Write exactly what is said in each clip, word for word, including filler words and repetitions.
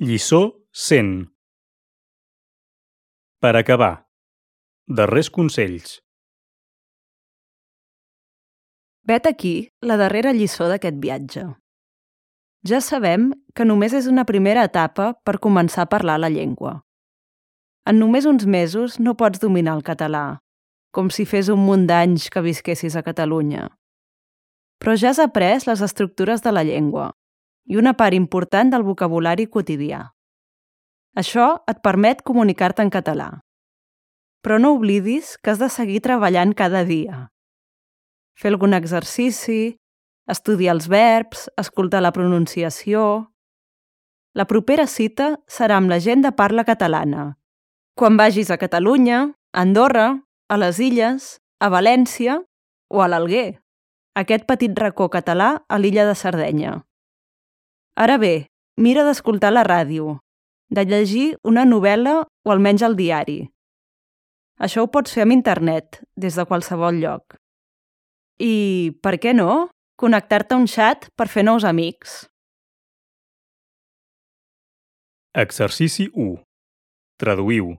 Lliçó cent. Per acabar, darrers consells. Vet aquí la darrera lliçó d'aquest viatge. Ja sabem que només és una primera etapa per començar a parlar la llengua. En només uns mesos no pots dominar el català, com si fes un munt d'anys que visquessis a Catalunya. Però ja has après les estructures de la llengua i una part important del vocabulari quotidià. Això et permet comunicar-te en català. Però no oblidis que has de seguir treballant cada dia. Fer algun exercici, estudiar els verbs, escoltar la pronunciació... La propera cita serà amb la gent de parla catalana, quan vagis a Catalunya, a Andorra, a les Illes, a València o a l'Alguer, aquest petit racó català a l'illa de Sardenya. Ara bé, mira d'escoltar la ràdio, de llegir una novel·la o almenys el diari. Això ho pots fer amb internet, des de qualsevol lloc. I, per què no, connectar-te a un xat per fer nous amics? Exercici u. Traduïu.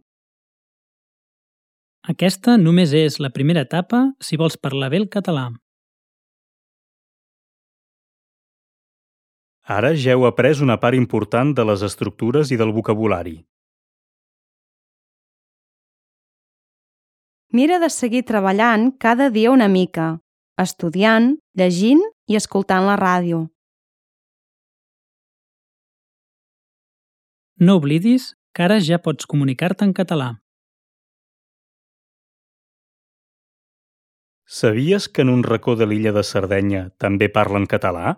Aquesta només és la primera etapa si vols parlar bé el català. Ara ja heu après una part important de les estructures i del vocabulari. Mira de seguir treballant cada dia una mica, estudiant, llegint i escoltant la ràdio. No oblidis que ara ja pots comunicar-te en català. Sabies que en un racó de l'illa de Sardenya també parlen català?